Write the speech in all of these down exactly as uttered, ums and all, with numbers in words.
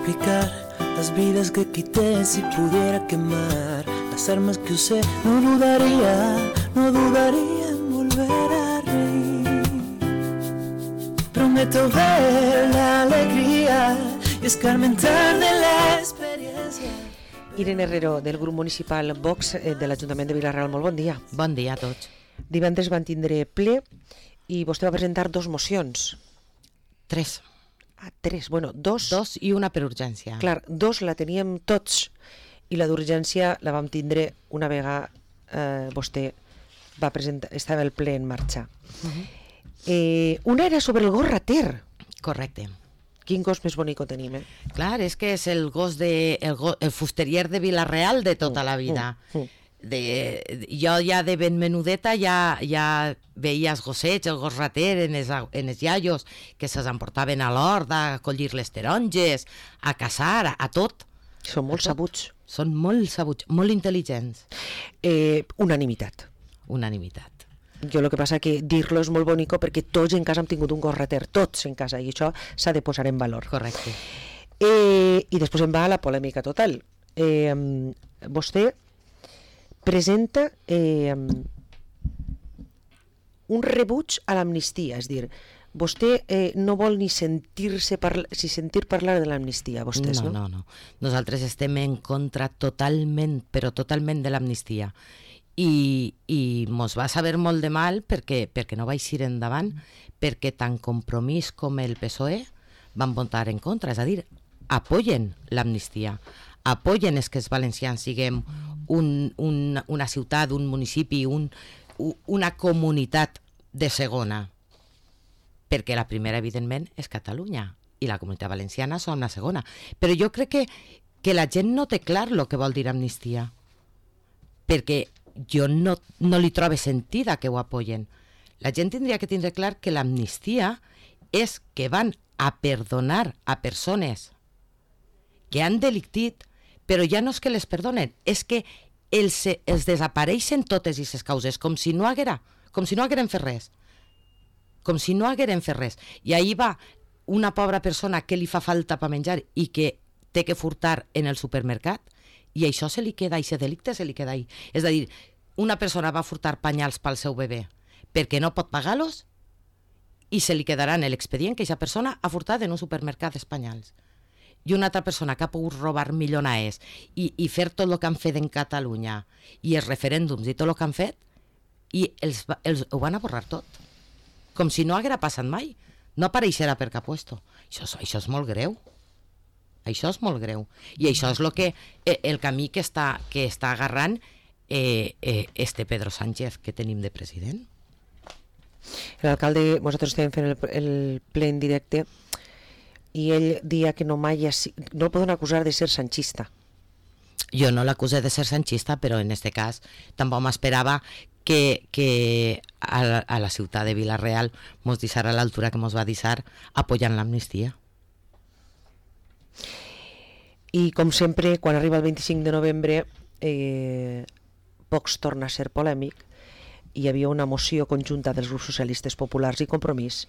sacrificar las vidas que quité si pudiera quemar las armas que usé. No dudaría, no dudaría en volver a reír. Prometo ver la alegría y escarmentar de la experiencia. Irene Herrero, del grup municipal Vox de l'Ajuntament de Vila-real, molt bon dia. Bon dia a tots. Divendres van tindre ple i vostè va presentar dos mocions. Tres. Ah, tres, bueno, dos. Dos i una per urgència. Clar, dos la teníem tots i la d'urgència la vam tindre una vegada eh, vostè va presentar, estava el ple en marxa. Uh-huh. eh, una era sobre el gos rater. Correcte. Quin gos més bonico tenim, eh? Clar, és que és el gos de, el, go, el fusterier de Vila-real de tota la vida. Mm, mm. De, jo ja de ben menudeta ja, ja veia els gossets, el gos rater en els, en els iaios que se'ls emportaven a l'hort a collir les taronges, a caçar, a, a tot. Són molt sabuts. Són molt sabuts, molt intel·ligents. Eh, unanimitat. Unanimitat. Jo el que passa que dir-lo és molt bonico perquè tots en casa hem tingut un gos rater, tots en casa, i això s'ha de posar en valor. Correcte. Eh, I després em va a la polèmica total. Eh, vostè presenta eh, un rebuig a l'amnistia, és dir, vostè eh, no vol ni sentir-se parla, si sentir parlar de l'amnistia, vostès, no? No, no, no. Nosaltres estem en contra totalment, però totalment de l'amnistia. I, i mos va saber molt de mal perquè, perquè no va eixir endavant, perquè tant Compromís com el P S O E van votar en contra, és a dir, apoyen l'amnistia, apoyen és que els valencians siguem un, un, una ciutat, un municipi, un, una comunitat de segona, perquè la primera, evidentment, és Catalunya i la comunitat valenciana són la segona. Però jo crec que, que la gent no té clar el que vol dir amnistia, perquè jo no, no li trobo sentida que ho apoyen. La gent tindria que tindre clar que l'amnistia és que van a perdonar a persones que han delictit, però ja no és que les perdonen, és que els, els desapareixen totes aquestes causes, com si no haguera, com si no hagueren fet res. Com si no hagueren fet res. I ahir va una pobra persona que li fa falta per menjar i que té que furtar en el supermercat, i això se li queda, i aquest delicte se li queda ahí. És a dir, una persona va furtar panyals pel seu bebè perquè no pot pagar-los i se li quedarà en l'expedient que aquesta persona ha furtat en un supermercat d'espanyals. I una altra persona que ha pogut robar milionars i, i fer tot el que han fet en Catalunya i els referèndums i tot el que han fet, i els, els, ho van a borrar tot. Com si no haguera passat mai. No apareixerà per cap puesto. Això, això és molt greu. Això és molt greu. I això és lo que, eh, el camí que està, que està agarrant eh, eh, este Pedro Sánchez que tenim de president. L'alcalde, nosaltres estem fent el, el ple en directe i ell dia que no mai ha, no el poden acusar de ser sanchista. Jo no l'acusé de ser sanchista, però en este cas tampoc m'esperava que, que a, la, a la ciutat de Vila-real mos deixara a l'altura que mos va deixar apoyant l'amnistia. I com sempre, quan arriba el vint-i-cinc de novembre, eh, Vox torna a ser polèmic. Hi havia una moció conjunta dels grups socialistes, populars i Compromís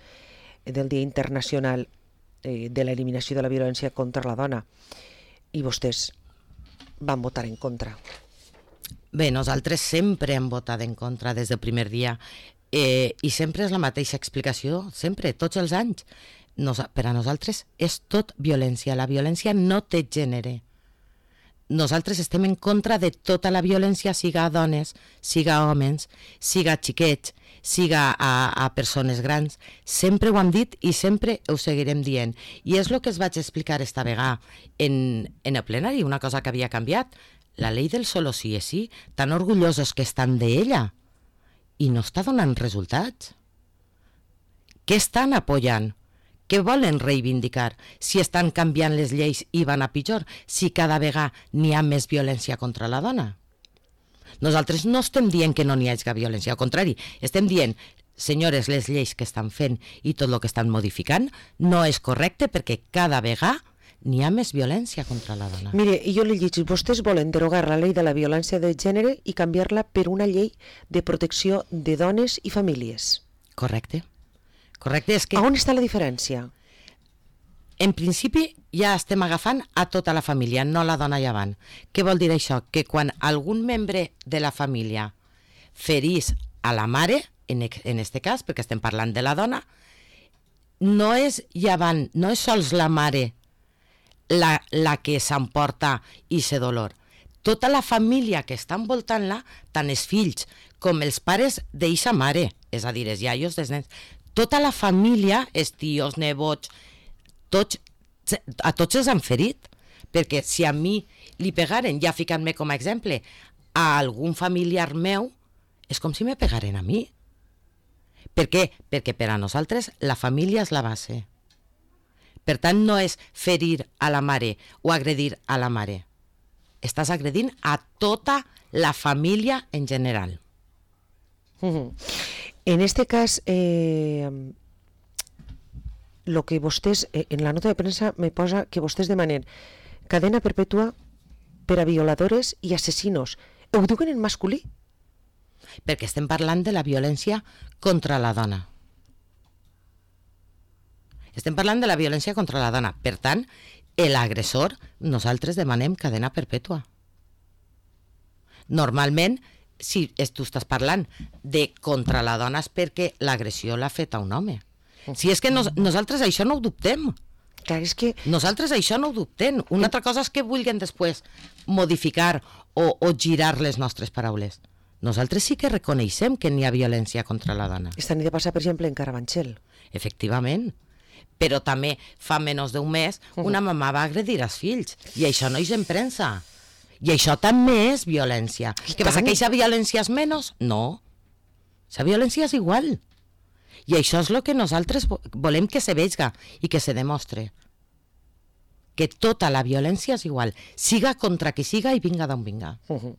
del Dia Internacional eh, de l'Eliminació de la Violència contra la Dona, i vostès van votar en contra. Bé, nosaltres sempre hem votat en contra des del primer dia, eh, i sempre és la mateixa explicació, sempre, tots els anys. Nos, per a nosaltres és tot violència, la violència no té gènere. Nosaltres estem en contra de tota la violència, siga a dones, siga a homes, siga a xiquets, siga a, a persones grans. Sempre ho hem dit i sempre ho seguirem dient. I és el que es vaig explicar esta vegada en, en el plenari, una cosa que havia canviat. La llei del solo sí és sí, tan orgullosos que estan d'ella, i no està donant resultats. Què estan apoyant? Què volen reivindicar? Si estan canviant les lleis i van a pitjor, si cada vegada n'hi ha més violència contra la dona. Nosaltres no estem dient que no n'hi hagi violència, al contrari, estem dient, senyores, les lleis que estan fent i tot el que estan modificant no és correcte perquè cada vegada n'hi ha més violència contra la dona. Mire, jo li dic, vostès volen derogar la llei de la violència de gènere i canviar-la per una llei de protecció de dones i famílies. Correcte. Correcte, és que... A on està la diferència? en principi ja estem agafant a tota la família, no la dona llevant. Què vol dir això? Que quan algun membre de la família ferís a la mare, en aquest cas, perquè estem parlant de la dona, no és llevant, no és sols la mare la, la que s'emporta i se dolor. Tota la família que està envoltant-la, tant els fills com els pares d'eixa mare, és a dir, els iaios dels nens, tota la família, els tios, nebots, tots, a tots els han ferit, perquè si a mi li pegaren, ja ficant-me com a exemple, a algun familiar meu, és com si me pegaren a mi. Per què? Perquè per a nosaltres la família és la base. Per tant, no és ferir a la mare o agredir a la mare. Estàs agredint a tota la família en general. Uh-huh. En este cas, eh, lo que vostès, eh, en la nota de premsa me posa que vostès demanen cadena perpètua per a violadores i assassinos. Ho diuen en masculí? Perquè estem parlant de la violència contra la dona. Estem parlant de la violència contra la dona. Per tant, l'agressor, nosaltres demanem cadena perpètua. Normalment, si tu estàs parlant de contra la dona és perquè l'agressió l'ha fet a un home. Si és que nos, nosaltres això no ho dubtem. Clar, és que... Nosaltres això no ho dubtem. Una altra cosa és que vulguin després modificar o, o girar les nostres paraules. Nosaltres sí que reconeixem que n'hi ha violència contra la dona. Esta nit de passar, per exemple, en Carabanchel. Efectivament. Però també fa menys d'un mes una mamà va agredir els fills i això no és en premsa. I això també és violència. Què passa, que aquesta violència és menys? No. La violència és igual. I això és el que nosaltres volem que se vegi i que se demostre. Que tota la violència és igual, siga contra qui siga i vinga d'on vinga. Uh-huh.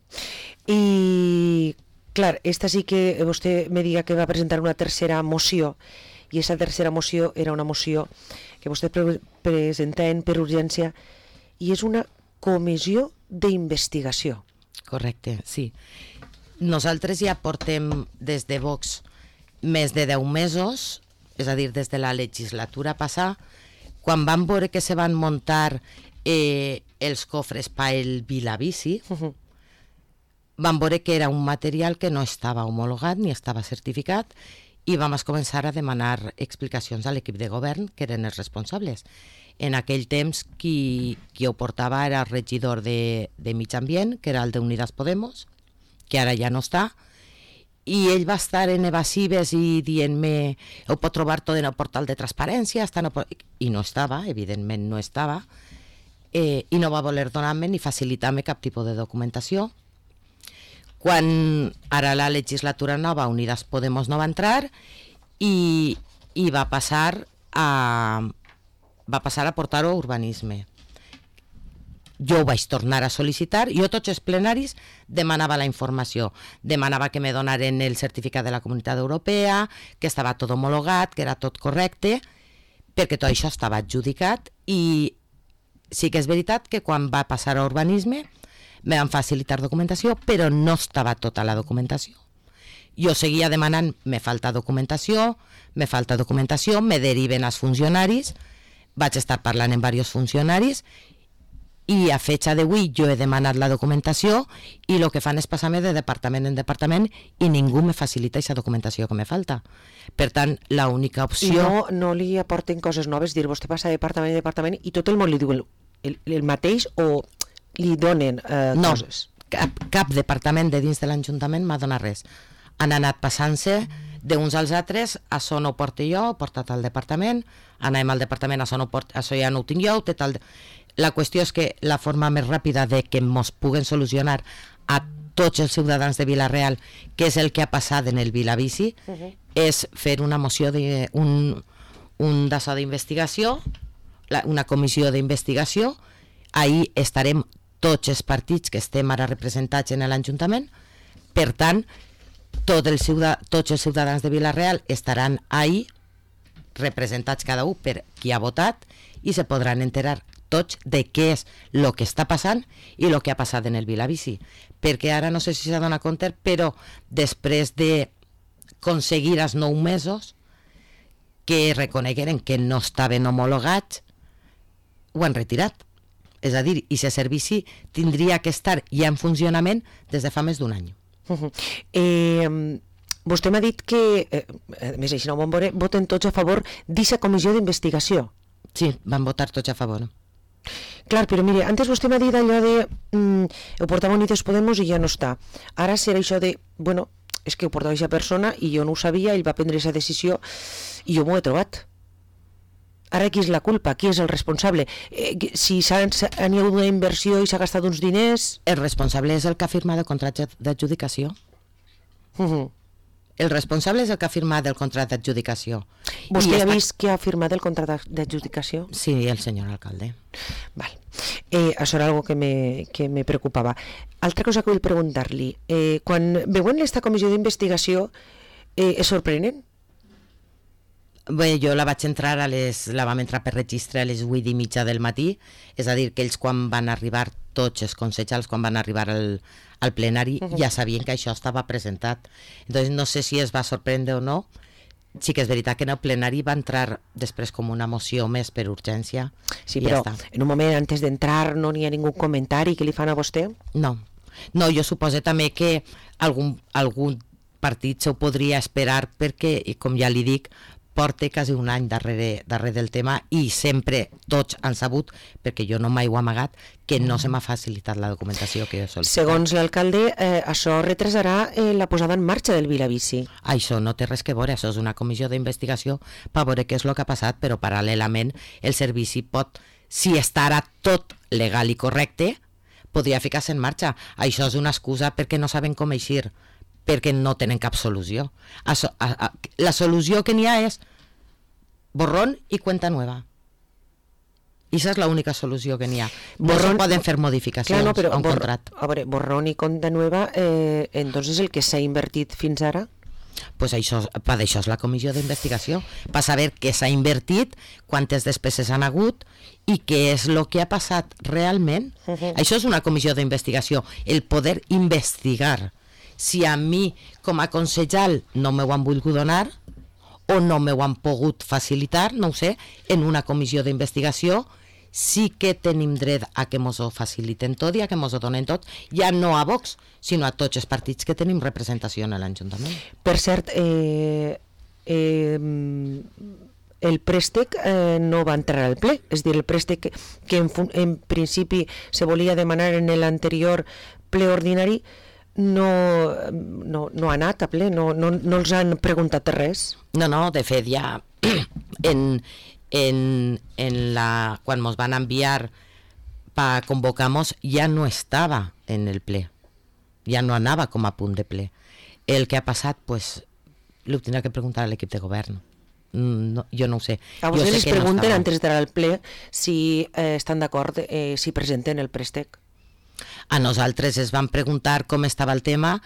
I, clar, esta sí que vostè me diga que va presentar una tercera moció, i aquesta tercera moció era una moció que vostè pre presenten per urgència, i és una comissió d'investigació. Correcte, sí. Nosaltres ja portem des de Vox més de deu mesos, és a dir, des de la legislatura passada, quan van veure que se van muntar eh, els cofres pel Vilabici, uh-huh. van veure que era un material que no estava homologat ni estava certificat i vam començar a demanar explicacions a l'equip de govern, que eren els responsables. En aquell temps qui, qui ho portava era el regidor de, de Mig Ambient, que era el d'Unidas Podemos, que ara ja no està, i ell va estar en evasives i dient-me ho pot trobar tot en el portal de transparència, no pot... i no estava, evidentment no estava, eh, i no va voler donar-me ni facilitar-me cap tipus de documentació. Quan ara la legislatura nova, Unidas Podemos no va entrar i, i va passar a va passar a portar-ho a urbanisme. Jo ho vaig tornar a sol·licitar, jo tots els plenaris demanava la informació, demanava que me donaren el certificat de la Comunitat Europea, que estava tot homologat, que era tot correcte, perquè tot això estava adjudicat, i sí que és veritat que quan va passar a urbanisme me van facilitar documentació, però no estava tota la documentació. Jo seguia demanant, me falta documentació, me falta documentació, me deriven als funcionaris, vaig estar parlant amb diversos funcionaris, i a fecha d'avui jo he demanat la documentació i el que fan és passar-me de departament en departament i ningú me facilita aquesta documentació que me falta. Per tant, l'única opció... I no, no li aporten coses noves, dir, vostè passa de departament en departament i tot el món li diu el, el, el mateix o li donen eh, no, coses? No, cap, cap departament de dins de l'Ajuntament m'ha donat res. Han anat passant-se d'uns als altres, això no ho porto jo, ho portat al departament, anem al departament, això, no port, això ja no ho tinc jo, ho té tal... La qüestió és que la forma més ràpida de que ens puguen solucionar a tots els ciutadans de Vila-real, que és el que ha passat en el Vilabici, uh-huh. és fer una moció, de, un, un d'això d'investigació, una comissió d'investigació. Ahí estarem tots els partits que estem ara representats en l'Ajuntament. Per tant, tot el ciutadà, tots els ciutadans de Vila-real estaran ahí, representats cada un per qui ha votat, i se podran enterar tots de què és el que està passant i el que ha passat en el Vilabici. Perquè ara no sé si s'ha donat compte, però després de aconseguir els nou mesos que reconegueren que no estaven homologats, ho han retirat. És a dir, i aquest servici tindria que estar ja en funcionament des de fa més d'un any. Uh-huh. Eh, vostè m'ha dit que, eh, a més així no ho vam veure, voten tots a favor d'aquesta comissió d'investigació. Sí, van votar tots a favor. Clar, però mire, antes vostè m'ha dit allò de mm, ho portava Unidos Podemos i ja no està. Ara serà això de, bueno, és que ho portava aquesta persona i jo no ho sabia, ell va prendre aquesta decisió i jo m'ho he trobat. Ara qui és la culpa? Qui és el responsable? Eh, si s'ha, han hi hagut una inversió i s'ha gastat uns diners... El responsable és el que ha firmat el contracte d'adjudicació. Uh-huh. El responsable és el que ha firmat el contracte d'adjudicació. Vostè ha està... vist qui ha firmat el contracte d'adjudicació? Sí, el senyor alcalde. Val. Eh, això era algo que me, que me preocupava. Altra cosa que vull preguntar-li. Eh, quan veuen aquesta comissió d'investigació, eh, es sorprenen? Bé, jo la vaig entrar a les, la vam entrar per registre a les vuit i mitja del matí, és a dir, que ells quan van arribar, tots els consellers, quan van arribar al, al plenari, uh-huh. ja sabien que això estava presentat. Entonces no sé si es va sorprendre o no. Sí que és veritat que en el plenari va entrar després com una moció més per urgència. Sí, però ja en un moment antes d'entrar no n'hi ha ningú comentari que li fan a vostè? No, no, jo suposo també que algun, algun partit s'ho podria esperar perquè, com ja li dic, porta quasi un any darrere, darrere del tema i sempre tots han sabut, perquè jo no mai ho he amagat, que no se m'ha facilitat la documentació que jo he sol·licitat. Segons l'alcalde, eh, això retrasarà eh, la posada en marxa del Vilavici. Això no té res que veure, això és una comissió d'investigació per veure què és el que ha passat, però paral·lelament el servici pot, si estarà tot legal i correcte, podria ficar-se en marxa. Això és una excusa perquè no saben com eixir, perquè no tenen cap solució. Això, a, a, la solució que n'hi ha és borrón i cuenta nueva. I esa és l'única solució que n'hi ha. No se poden fer modificacions clar, no, però, a un bor, contracte. A veure, borrón i cuenta nueva, eh, entonces el que s'ha invertit fins ara? Pues això, per això és la comissió d'investigació, per saber què s'ha invertit, quantes despeses han hagut i què és el que ha passat realment. Uh-huh. Això és una comissió d'investigació, el poder investigar. Si a mi, com a consellal, no m'ho han volgut donar o no m'ho han pogut facilitar, no ho sé, en una comissió d'investigació, sí que tenim dret a que mos ho faciliten tot i a que mos ho donen tot, ja no a Vox, sinó a tots els partits que tenim representació en l'Ajuntament. Per cert, eh, eh, el préstec eh, no va entrar al ple, és dir, el préstec que, que en, en principi se volia demanar en l'anterior ple ordinari no, no, no ha anat a ple, no, no, no els han preguntat res. No, no, de fet ja en, en, en la, quan ens van enviar per convocar-nos ja no estava en el ple, ja no anava com a punt de ple. El que ha passat, pues, ho tindrà que preguntar a l'equip de govern. No, jo no ho sé. A vostès les pregunten no antes d'entrar al ple si eh, estan d'acord, eh, si presenten el préstec. A nosaltres es van preguntar com estava el tema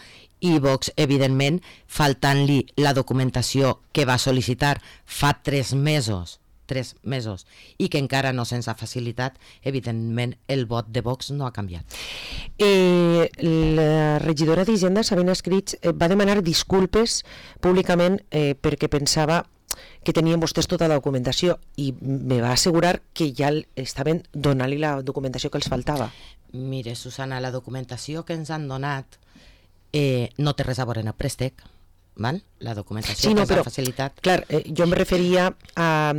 i Vox, evidentment, faltant-li la documentació que va sol·licitar fa tres mesos, tres mesos, i que encara no se'ns ha facilitat, evidentment el vot de Vox no ha canviat. Eh, la regidora d'Hisenda, Sabina Escrits, eh, va demanar disculpes públicament eh, perquè pensava que tenien vostès tota la documentació i me va assegurar que ja estaven donant-li la documentació que els faltava. Mire, Susana, la documentació que ens han donat eh, no té res a veure en el préstec, val? La documentació sí, no, que ens però, ha facilitat. Clar, eh, jo em referia a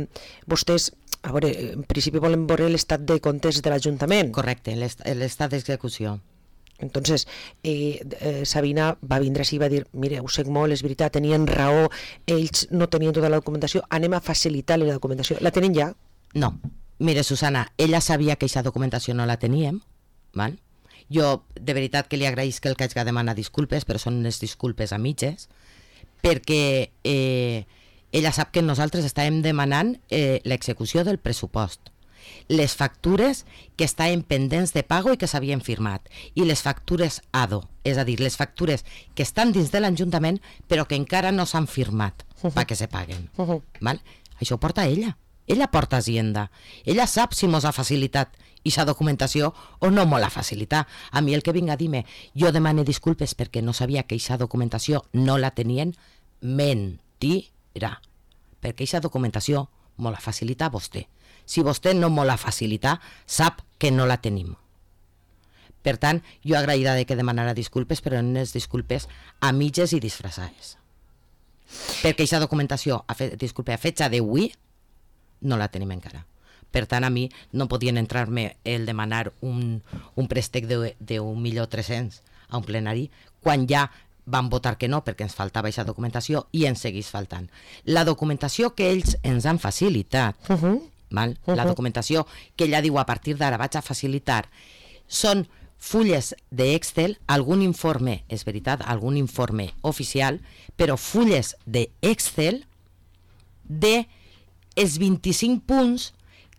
vostès, a veure, en principi volen veure l'estat de comptes de l'Ajuntament. Correcte, l'estat d'execució. Entonces, eh, eh, Sabina va vindre així i va dir, mire, ho sé molt, és veritat, tenien raó, ells no tenien tota la documentació, anem a facilitar-li la documentació. La tenen ja? No. Mire, Susana, ella sabia que aquesta documentació no la teníem, val? Jo, de veritat que li agraïsc que el que haig de demanar disculpes, però són unes disculpes a mitges, perquè eh, ella sap que nosaltres estàvem demanant eh, l'execució del pressupost, les factures que estaven pendents de pago i que s'havien firmat, i les factures A D O, és a dir, les factures que estan dins de l'Ajuntament però que encara no s'han firmat uh-huh. perquè se paguen. Uh-huh. Val? Això ho porta ella. Ella porta Hacienda. Ella sap si mos ha facilitat aquesta documentació o no me la facilitar. A mi el que vinga a dir-me, jo demane disculpes perquè no sabia que aquesta documentació no la tenien, mentira. Perquè aquesta documentació me la facilita vostè. Si vostè no me la facilita, sap que no la tenim. Per tant, jo agraïda de que demanara disculpes, però unes disculpes a mitges i disfressades. Perquè aquesta documentació, a fe, disculpe, a fetge d'avui, no la tenim encara. Per tant, a mi no podien entrar-me el demanar un, un préstec d'un milió tres-cents a un plenari, quan ja van votar que no, perquè ens faltava aquesta documentació i ens seguís faltant. La documentació que ells ens han facilitat, uh-huh. val? Uh-huh. La documentació que ella diu a partir d'ara vaig a facilitar, són fulles d'Excel, algun informe, és veritat, algun informe oficial, però fulles d'Excel de els vint-i-cinc punts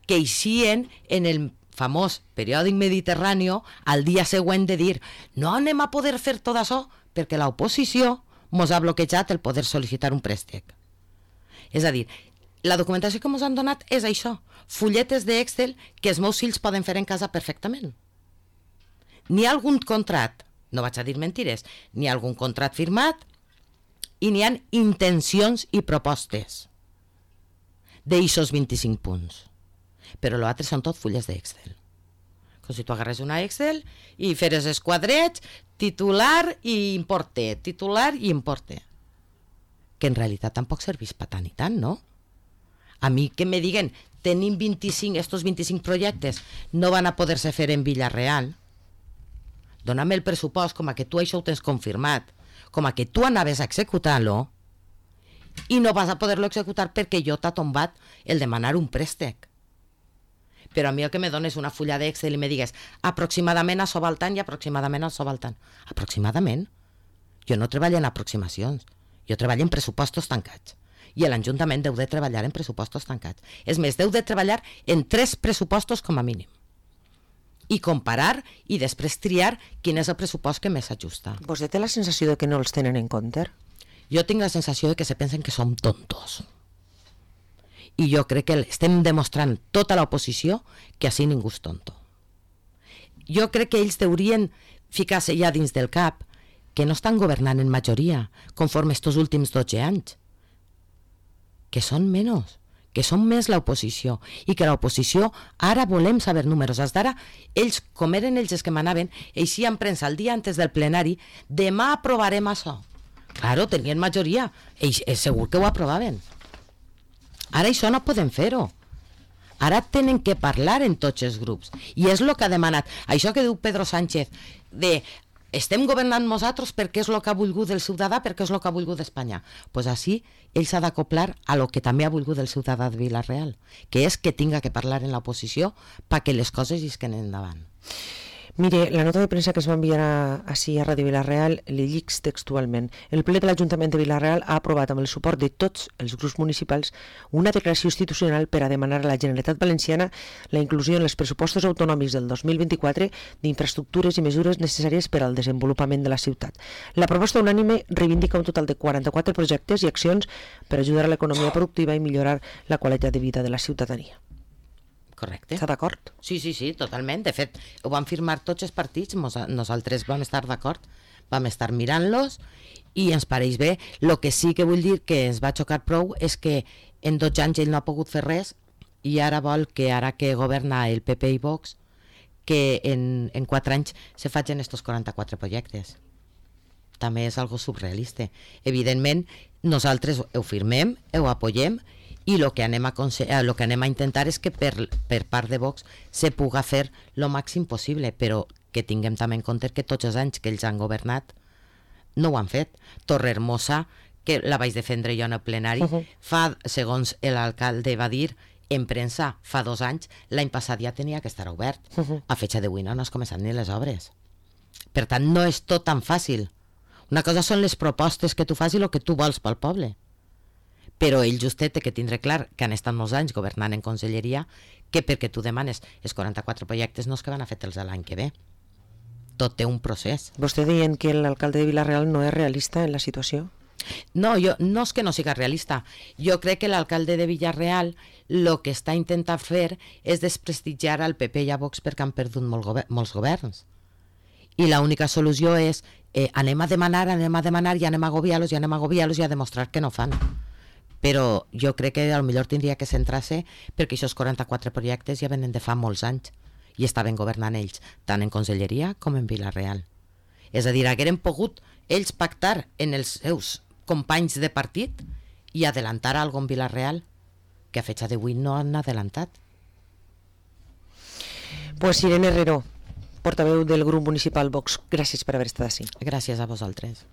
que eixien en el famós periòdic Mediterrani al dia següent de dir no anem a poder fer tot això perquè l'oposició mos ha bloquejat el poder sol·licitar un préstec. És a dir, la documentació que mos han donat és això, fulletes d'Excel que els meus fills poden fer en casa perfectament. N'hi ha algun contrat, no vaig a dir mentires, n'hi ha algun contrat firmat i n'hi ha intencions i propostes d'eixos vint-i-cinc punts. Però l'altre són tot fulles d'Excel. Com si tu agarres una Excel i feres els quadrets, titular i importe, titular i importe. Que en realitat tampoc serveix per tant i tant, no? A mi que me diguen, tenim vint-i-cinc, estos vint-i-cinc projectes no van a poder-se fer en Villarreal, dona'm el pressupost com a que tu això ho tens confirmat, com a que tu anaves a executar-lo i no vas a poder-lo executar perquè jo t'ha tombat el demanar un préstec. Però a mi el que me dones una fulla d'Excel i me digues aproximadament a Sobaltant i aproximadament a Sobaltant. Aproximadament? Jo no treballo en aproximacions, jo treballo en pressupostos tancats. I l'Ajuntament deu de treballar en pressupostos tancats. És més, deu de treballar en tres pressupostos com a mínim. I comparar i després triar quin és el pressupost que més s'ajusta. Vostè té la sensació de que no els tenen en compte? Jo tinc la sensació de que se pensen que som tontos. I jo crec que estem demostrant tota l'oposició que així ningú és tonto. Jo crec que ells deurien ficar-se ja dins del cap que no estan governant en majoria conforme estos últims dotze anys. Que són menys, que són més l'oposició i que l'oposició ara volem saber números. Fins d'ara, ells, com eren ells els que manaven, eixien premsa el dia antes del plenari, demà aprovarem això. Claro, tenien majoria, ells és segur que ho aprovaven. Ara això no podem fer-ho. Ara tenen que parlar en tots els grups. I és el que ha demanat. Això que diu Pedro Sánchez, de estem governant nosaltres perquè és el que ha volgut el ciutadà, perquè és el que ha volgut Espanya. Doncs pues així ell s'ha d'acoplar a lo que també ha volgut el ciutadà de Vila-real, que és que tinga que parlar en l'oposició perquè les coses isquen endavant. Mire, la nota de premsa que es va enviar a, així a Ràdio Vila-real li llic textualment. El ple de l'Ajuntament de Vila-real ha aprovat amb el suport de tots els grups municipals una declaració institucional per a demanar a la Generalitat Valenciana la inclusió en els pressupostos autonòmics del dos mil vint-i-quatre d'infraestructures i mesures necessàries per al desenvolupament de la ciutat. La proposta unànime reivindica un total de quaranta-quatre projectes i accions per ajudar a l'economia productiva i millorar la qualitat de vida de la ciutadania. Correcte. Està d'acord? Sí, sí, sí, totalment. De fet, ho van firmar tots els partits, nosaltres vam estar d'acord, vam estar mirant-los i ens pareix bé. El que sí que vull dir que ens va xocar prou és que en dotze anys ell no ha pogut fer res i ara vol que, ara que governa el P P i Vox, que en, en quatre anys se facin estos quaranta-quatre projectes. També és algo surrealista. Evidentment, nosaltres ho firmem, ho apoyem, i el que, anem a el que anem a intentar és que per, per part de Vox se puga fer el màxim possible, però que tinguem també en compte que tots els anys que ells han governat no ho han fet. Torrehermosa, que la vaig defendre jo en el plenari, uh-huh. fa, segons l'alcalde va dir en premsa, fa dos anys, l'any passat ja tenia que estar obert. Uh-huh. A fecha d'avui no, no has començat ni les obres. Per tant, no és tot tan fàcil. Una cosa són les propostes que tu fas i el que tu vols pel poble. Però ell justet té que tindre clar que han estat molts anys governant en conselleria, que perquè tu demanes els quaranta-quatre projectes no és que van a fer-te'ls l'any que ve. Tot té un procés. Vostè deien que l'alcalde de Vila-real no és realista en la situació? No, jo, no és que no siga realista. Jo crec que l'alcalde de Villarreal el que està intentant fer és desprestigiar al P P i a Vox perquè han perdut molt gover- molts governs. I l'única solució és eh, anem a demanar, anem a demanar i anem a agobiar-los i anem a agobiar-los i a demostrar que no fan. però jo crec que potser tindria que centrar-se, perquè aquests quaranta-quatre projectes ja venen de fa molts anys i estaven governant ells, tant en Conselleria com en Vila-real. És a dir, hagueren pogut ells pactar en els seus companys de partit i adelantar alguna cosa en Vila-real, que a fecha d'avui no han adelantat. Pues Irene Herrero, portaveu del grup municipal Vox, gràcies per haver estat així. Gràcies a vosaltres.